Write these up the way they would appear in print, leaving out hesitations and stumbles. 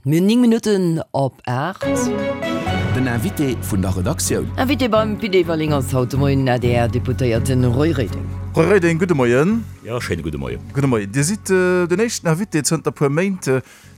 Mir hunn 9 Minutten op 8. Den Invité vun der Redaktioun. Invité beim Pit Everling ass haut de Moien den ADR-Deputéierten Roy Reding. Roy Reding, gudde Moien. Jo, schéine gudde Moien. Gudde Moien. Dir sidd den éischten Invité zënter puer Méint,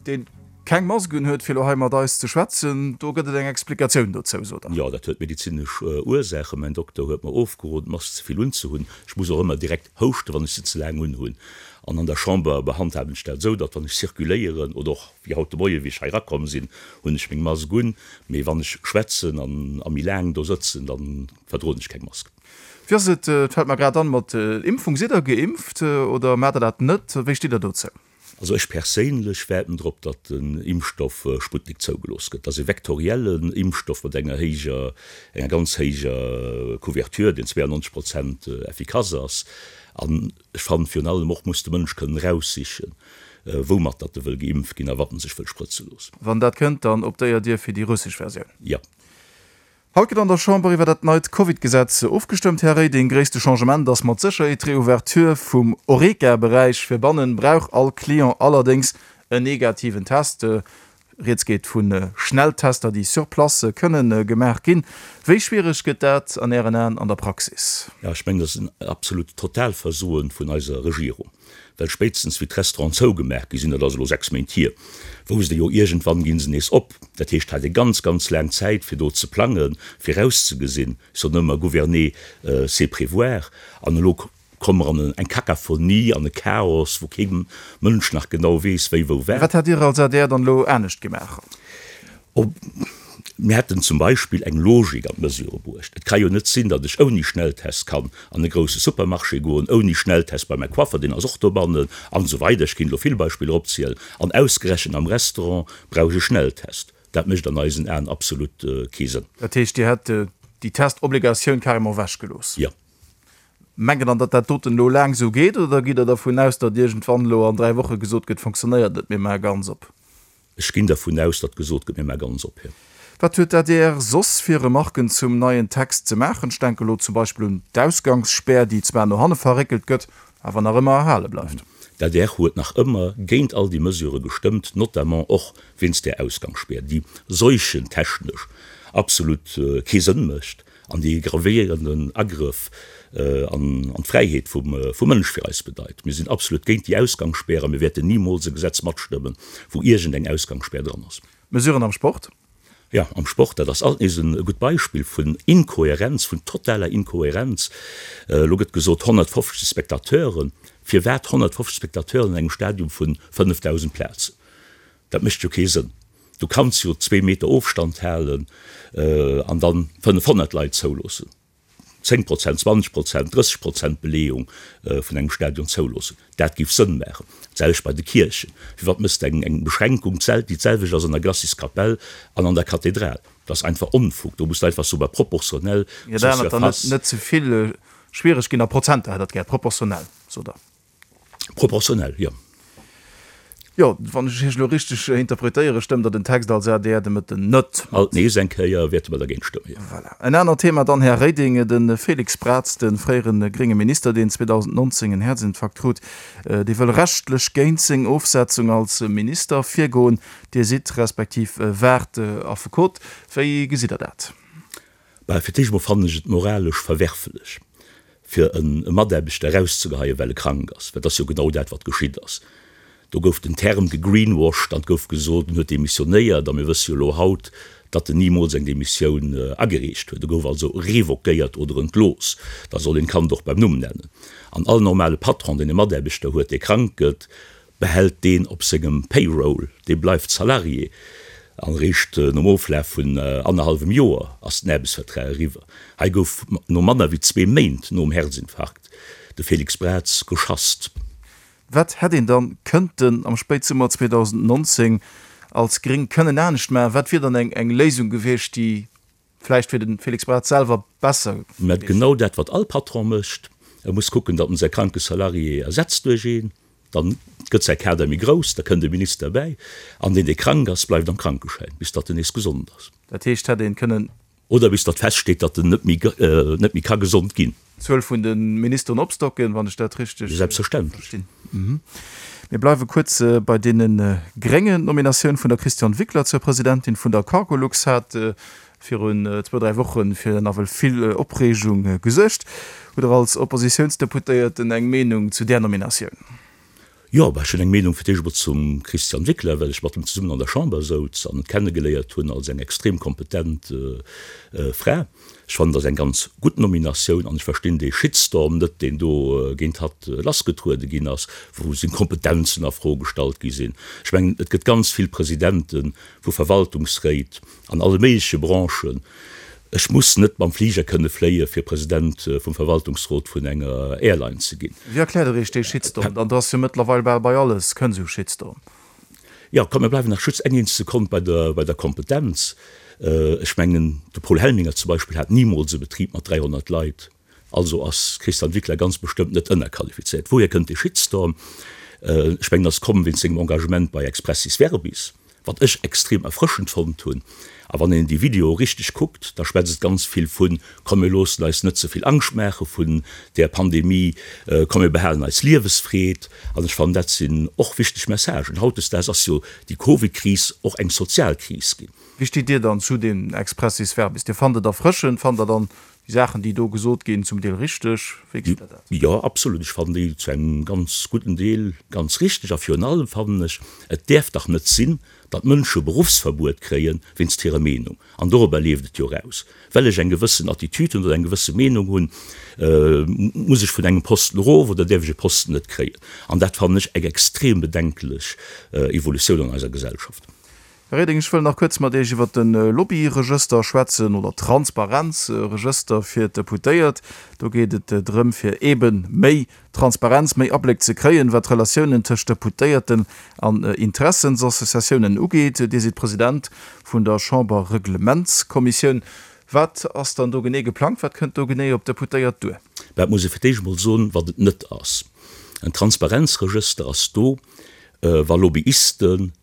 deen keng Mask un huet, fir elo hei mat eis ze schwätzen. Do gëtt et eng Explikatioun dozou, sot Der. Jo, dat huet medezinesch Ursaachen. Mäin Dokter huet mer ofgeroden, d'Mask ze vill unzehunn. Ech muss och ëmmer direkt houschten, wann ech se ze laang unhunn. An an der Chamber behandhaben ech dat esou, datt wann ech circuléieren oder och wéi haut de Moien, wéi ech hei erakomm sinn, hunn ech meng Mask un. Mee wann ech schwätzen an a méi laang do sëtzen, da verdroen ech keng Mask. Wéi ass et, et fält mer grad an, mat Impfung? Sidd Der geimpft oder maacht Der dat net? Wéi steet Der dozou? Also ech perséinlech waarden drop, datt den Impfstoff Sputnik zougelooss gëtt. Dat ass e vektoriellen Impfstoff mat enger héijer, enger ganz héijer Couverture, deen 92 Prozent effikass ass. An ech fannen, virun allem och muss de Mënsch kënnen eraussichen, woumat datt e wëll geimpft ginn a wat en sech wëll sprëtze loossen. Wann dat kënnt, dann optéiert Dir fir déi russesch Versioun? Jo. Haut gëtt an der Chamber iwwer dat neit Covid-Gesetz ofgestëmmt. Här Reding, gréisste Changement ass mat Sécherheet d'Reouverture vum Horeca-Beräich. Fir bannen brauch all Client allerdéngs en negativen Test. Rieds geet vu Schnelltester, déi sur place kënne gemaach ginn. Wéi schwiereg gëtt dat an Ären Aen an der Praxis? Jo, ech mengen, dat ass en absolut Totalversoen vun eiser Regierung. Well spéitstens wéi d'Restauranten zougemaach gi sinn, dat ass elo 6 Méint hier, wousst ee jo, iergendwann gi se nees op. Dat heescht, hat ee ganz, ganz laang Zäit fir do ze plangen, virauszegesinn. Ech soen ëmmer, gouverner, c'est prévoir. An elo komme mer an eng Kakaphonie, an e Chaos, wou kee Mënsch nach genau weess, wéi, wou, wat. Wat hätt Dir als adr dann elo anescht gemaach? Mir hätten zum Beispill eng Logik an d'Mesure bruecht. Et ka jo net sinn, datt ech ouni Schnelltest kann an e grousse Supermarché goen, ouni Schnelltest bei mäi Coiffer, deen ass och dobannen, an esou weider. Ech kéint elo vill Beispiller opzielen. An ausgerechent am Restaurant brauch ech e Schnelltest. Dat mécht an eisen Aen absolut kee Sënn. Dat heescht, Dir hätt déi Testobligatioun carrément ewechgelooss? Jo. Mengt Der dann, datt dat doten elo laang esou geet, oder gitt Der dervun aus, datt iergendwann elo an 3 Woche gesot gëtt, fonctionnéiert net, mir maache ganz op? Ech ginn dervun aus, datt gesot gëtt, mir maache ganz op, jo. Wat huet d'ADR soss fir Remarken zum neien Text ze maachen? Ech denke elo zum Beispill un d'Ausgangsspär, déi zwar no hanne verréckelt gëtt, awer nach ëmmer erhale bleift. D'adr huet nach ëmmer géint all déi Mesurë gestëmmt, notamment och wéinst där Ausgangsspär, déi seuchentechnesch absolut kee Sënn mécht. An déi e gravéierenden Agrëff an d'Fräiheet vum Mënsch fir eis bedeit. Mir sinn absolut géint déi Ausgangsspär a mir wäerten nimools e Gesetz matstëmmen, wou iergend eng Ausgangsspär dran ass. Mesuren am Sport? Jo, am Sport, dat ass alt nees e gutt Beispill vun Inkohärenz, vun totaler Inkohärenz. Elo gëtt gesot 150 Spectateuren. Firwat 150 Spectateuren an engem Stadium vu 5.000 Plazen? Dat mécht jo kee Sënn. Du kanns jo zwee Meter Ofstand halen an dann 500 Leit zouloossen, 10 Prozent, 20 Prozent, 30 Prozent Beleeung vun engem Stadion zouloossen. Dat géif Sënn maachen. D'selwecht bei de Kierchen. Firwat méchs de eng Beschränkung, déi d'selwecht ass an der Glaciskapell an an der Kathedral? Dat ass einfach Onfug. Do muss de einfach soen, bah, proportionell zur Surface. Net ze vill schwiereg ginn a Prozenter hätt Der et gär, proportionell, sot Der. Proportionell, jo. Jo, wann ech Iech elo richteg interpretéieren, stëmmt Der den Text als adr de Mëtten net mat. Alt nees eng Kéier wäerte mer dergéint stëmmen, jo. Voilà. En anert Thema dann, Här Reding, de Félix Braz, de fréiere grénge Minister, deen 2019 en Häerzinfarkt krut, dee wëll rechtlech géint seng Ofsetzung als Minister virgoen. Dir sidd, respektiv waart Affekot. Wéi gesitt Der dat? Bah, fir d'éischt emol fannen ech et moralesch verwerflech, fir e Mataarbechter erauszegeheien, well e krank ass, well et ass jo genau dat, wat geschitt ass. Do gouf den Term gegreenwashed an et gouf gesot, en huet demissionéiert, a mir wësse jo elo haut, datt en nimools eng Demissioun agereecht huet. E gouf also revoquéiert oder entlooss. Da soll een d'Kand och beim Numm nennen. An all normale Patron, deen e Mataarbechter huet, dee krank gëtt, behält deen op sengem Payroll, dee bleift Salarié an eréischt nom Oflaf vun annerhallwem Joer ass den Aarbechtsvertrag eriwwer. Hei gouf no manner wéi zwee Méint nom Herzinfarkt de Félix Braz geschasst. Wat hätt een dann kënnten am Spéitsummer 2019 als Gréng kënnen anescht maachen? Wat wier dann eng Léisung gewiescht, déi Vläicht fir de Félix Braz selwer besser Mä gewiescht. Genau dat, wat all Patron mécht, E muss kucken, datt en säi kranke Salarié ersetzt duerch een. Dann gëtt säi Kader méi grouss, da kënnt e Minister bäi. An deen, dee krank ass, bleift am Krankeschäin, bis datt en nees gesond ass. Dat heescht, hätt een kënnen. Oder bis datt feststeet, datt en net méi, net méi ka gesond ginn. D'Zuel vun de Ministeren opstocken, wann ech dat richteg verstinn. Mir bleiwe kuerz bei deene Gréngen. D'Nominatioun vun der Christiane Wickler zur Presidentin vun der Cargolux hat virun zwou, dräi Woche fir nawell vill Opreegung gesuergt. Hutt Der als Oppositiounsdeputéierten eng Meenung zu där Nominatioun? Jo, bah, ech hunn eng Meenung fir d'éischt emol zum Christian Wickler, well ech mat em zesummen an der Chamber souz an en kennegeléiert hunn als eng extrem kompetent Fra. Ech fannen, dat ass eng ganz gutt Nominatioun an ech verstinn dee Shitstorm net, deen do géint hatt lassgetruede ginn ass, wou seng Kompetenzen a Fro gestallt gi sinn. Ech mengen, et gëtt ganz vill Presidente vu Verwaltungsréit, An alle méigleche Branchen. Ech muss net mam Fliger kënne fléie fir President vum Verwaltungsrot vun enger Airline ze ginn. Wéi erkläert Der Iech dee Shitstorm dann? Do ass jo mëttlerweil bal bei alles kënn esou Shitstorm. Jo, komm mir bleiwen nach just eng eenzeg Sekonn bei der, bei der Kompetenz. Ech mengen, de Paul Helminger zum Beispill hat nimools e Betrib mat 300 Leit. Also ass d'Christiane Wickler ganz bestëmmt net ënnerqualifizéiert. Wouhier kënnt dee Shitstorm? Ech mengen, ass komm wéinst sengem Engagement bei Expressis Verbis, wat ech extrem erfrëschend fonnt hunn. A wann een déi Videoe richteg kuckt, da schwätzt et ganz vill vun, komm mir loossen eis net ze vill Angscht maache vun där Pandemie, komm mir behalen eis Liewesfreed. An ech fannen, dat sinn och wichteg Messagen. Hautdesdaags ass jo déi Covid-Kris och eng sozial Kris ginn. Wéi steet Dir dann zu deem Expressis Verbis? Dir fannt et erfrëschend, fannt Der dann Déi Saachen, déi do gesot ginn, zum Deel richteg? Wéi gesitt Der dat? Jo, absolut. Ech fannen déi zu engem ganz gudden Deel ganz richteg. A virun allem fannen ech, et däerf dach net sinn, datt Mënsche Beruffsverbuet kréie wéinst hirer Meenung. An dorobber leeft et jo eraus. Well ech eng gewëssen Attitude hunn oder eng gewësse Meenung hunn, muss ech vun engem Posten erof oder däerf ech e Posten net kréien. An dat fannen ech eng extrem bedenklech Evolutioun an eiser Gesellschaft. Här Reding, ech wëll nach kuerz mat Iech iwwert de Lobbyregëster schwätzen, oder Transparenzregëster fir d'Deputéiert. Do geet et drëm, fir eebe méi Transparenz, méi Abléck ze kréien, wat d'Relatiounen tëscht Deputéierten an Interessensassociatiounen ugeet. Dir sidd President vun der Chamberreglementskommissioun. Wat ass dann do genee geplangt? Wat kënnt do genee op d'Deputéiert duer? Mä et muss ee fir d'éischt emol soen, wat et net ass. En Transparenzregëster ass do, wa Lobbyisten,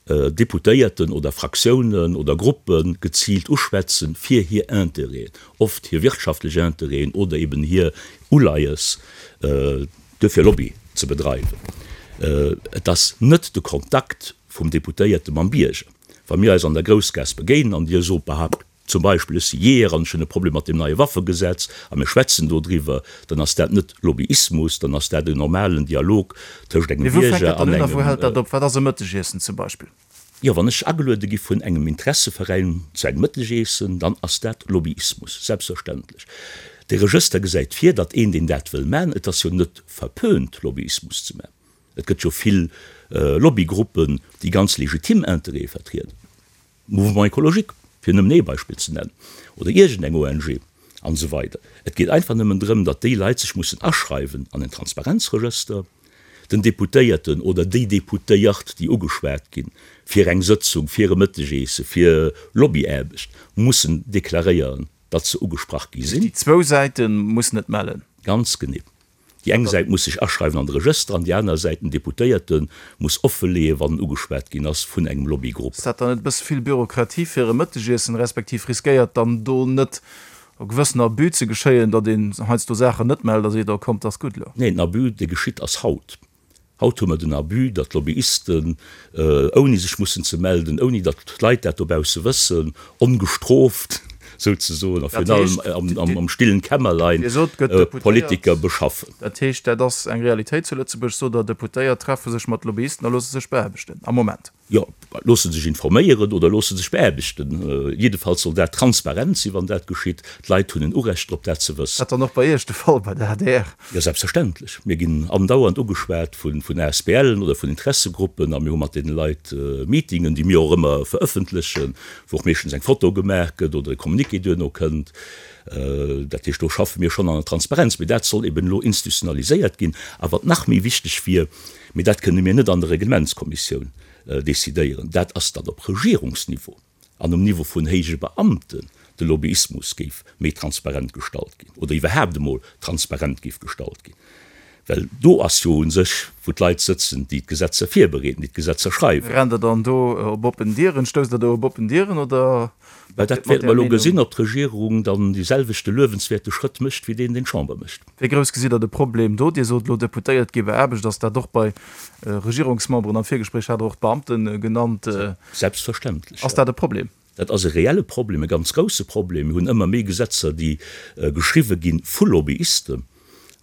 Deputéierten oder Fraktiounen oder Gruppe geziilt uschwätzen, fir hir Intérêten, oft hir wirtschaftlech Intérêten oder eben hir Uleies, duerfir Lobby ze bedreiwen. Et ass net de Kontakt vum Deputéierte mam Bierger. Wa mir eis an der Groussgaass begéinen an Dir sot, Bah, Zum Beispill, ech si Jeeër an ech hunn e Problem mat deem neie Waffegesetz a mir schwätzen dodriwwer, dann ass dat net Lobbyismus, dann ass dat en normalen Dialog tëscht engem Mee wou fänkt Bierger dat dann an un a wou engem. hält dat op? Wat ass e Mëttegiessen zum Beispill? Jo, wann ech ageluede gi vun engem Interesseveräin zu engem Mëttegeessen, dann ass dat Lobbyismus, selbstverständlech. De Regëster gesäit vir, datt een, deen dat wëll man, et ass jo net verpönt, Lobbyismus ze man, et gëtt jo vill Lobbygruppen, déi ganz legitim Interêtë vertrieden, Mouvement écologique, fir nëmmen ee Beispill ze nennen, oder iergendeng ONG an esou weider. Et geet einfach nëmmen drëm, datt déi Leit sech mussen aschreiwen an en Transparenzregëster, den Deputéierten oder déi Deputéiert, déi ugeschwat ginn fir eng Sëtzung, fir e Mëttegeesse, fir Lobbyaarbecht, mussen deklaréieren, datt se ugesprach gi sinn. Déi zwou Säite mussen et mellen. Ganz genee. Déi eng Säit muss sech aschreiwen an de Regëster an déi aner Säit, den Deputéierte muss offeleeën, wann en ugeschwat ginn ass vun engem Lobbygrupp. Ass dat dann net e bësse vill Bürokratie fir e Mëttegiessen, respektiv riskéiert dann do net e gewëssen Abus ze geschéien, datt een heiansdo Saachen net mellt a seet, oh kommt, ass gutt elo? Neen, den Abus, dee geschitt ass haut. Haut hu mer den Abus, datt d'Lobbyisten, ouni sech mussen ze melden, ouni datt d'Leit dat dobausse wëssen, ongestrooft souzesoen a virun allem am stillen Kämmerlein Politiker beschaffen. Dat heescht, dat ass eng Realitéit zu Lëtzebuerg, sot Der, Deputéiert treffe sech mat Lobbyisten a loosse sech beaarbechten am Moment. Jo, loosse sech informéieren oder loosse sech beaarbechten. Jiddefalls soll dat transparent sinn, wann dat geschitt. D'Leit hunn en Urecht drop, dat ze wëssen. Dat dann och bei Iech de Fall, bei der adr? Jo, selbstverständlech. Mir ginn andauernd ugeschwat vun ASBLen oder vun Interessegruppen a mir hu mat deene Leit Meetingen, déi mir och ëmmer verëffentlechen, wou och meeschtens eng Foto gemaach gëtt oder e Communiqué duerno kënnt. Dat heescht, do schaffe mir schonn an der Transparenz. Mee dat soll eben elo institutionaliséiert ginn. A wat nach méi wichteg wier, Mee dat kënne mir net an der Reglementskommissioun decidéieren. Dat ass, datt op Regierungsniveau an um Niveau vun héije Beamten de Lobbyismus géif méi transparent gestallt ginn oder iwwerhaapt emol transparent géif gestallt ginn. Well do ass jo u sech, wou d'Leit sëtzen, déi d'Gesetzer virbereeden, déi d'Gesetzer schreiwen. Rennt Der dann do op oppen Dieren? Stousst Der do op oppen Dieren oder Mä dat wäerte mer elo gesinn, ob d'Regierung dann dee selwechte luewenswäerte Schrëtt mécht wéi deen, deen d'Chamber mécht. Wéi grouss gesitt Der de Problem do? Dir sot elo, Deputéiert gi beaarbecht. Ass dat och bei Regierungsmemberen? Am Virgespréich hat Der och d'Beamte genannt. Selbstverständlech, jo. Ass dat e Problem? Dat ass e reelle Problem, e ganz grousse Problem. Mir hunn ëmmer méi Gesetzer, déi geschriwwe gi vu Lobbyisten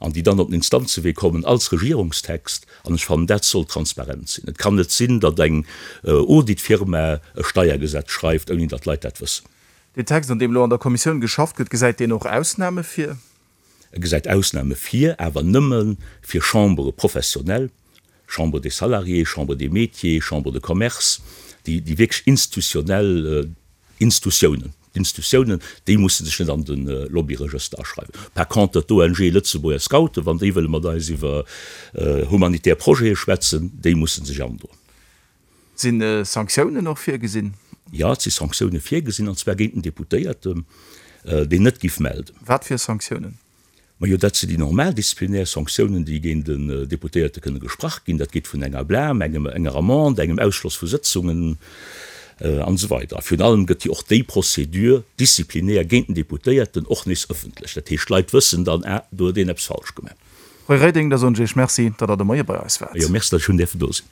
an déi dann op den Instanzewee kommen als Regierungstext. An ech fannen, dat soll transparent sinn. Et kann net sinn, datt eng Auditfirma e Steiergesetz schreift, ouni datt d'Leit dat wëssen. Deen Text, un deem elo an der Kommissioun geschafft gëtt, gesäit deen och Ausname vir? E gesäit Ausname vir, awer nëmme fir Chambres professionnelles, Chambre des Salariés, Chambre des Métiers, Chambre de Commerce, déi wierklech institutionnell Instutiounen, d'Instutiounen, déi musse sech net an de Lobbyregëster aschreiwen. Par contre d'ONG Lëtzebuerger Scouten, wann déi wëlle mat eis iwwer humanitär Projete schwätzen, déi musse sech androen. Si Sanktiounen och virgesinn? Jo, et si Sanktioune virgesinn, an zwar géint den Deputéierten, deen net giff melden. Wat fir Sanktiounen? Majo, dat sinn déi normal disziplinär Sanktiounen, déi géint en Deputéierte kënne gesprach ginn. Dat geet vun enger Blâme, engem, enger Amende, engem Ausschloss vu Sëtzungen an esou weider. A virun allem gëtt jo och déi Procédure disciplinaire géint den Deputéierten och nees ëffentlech. Dat heescht, d'Leit wëssen dann, ah, do huet een eppes falsch gemaach. Roy Reding, da soen ech Iech Merci, datt Der de Moie bei eis waart. Jo, Merci, datt ech hunn däerfen do sinn.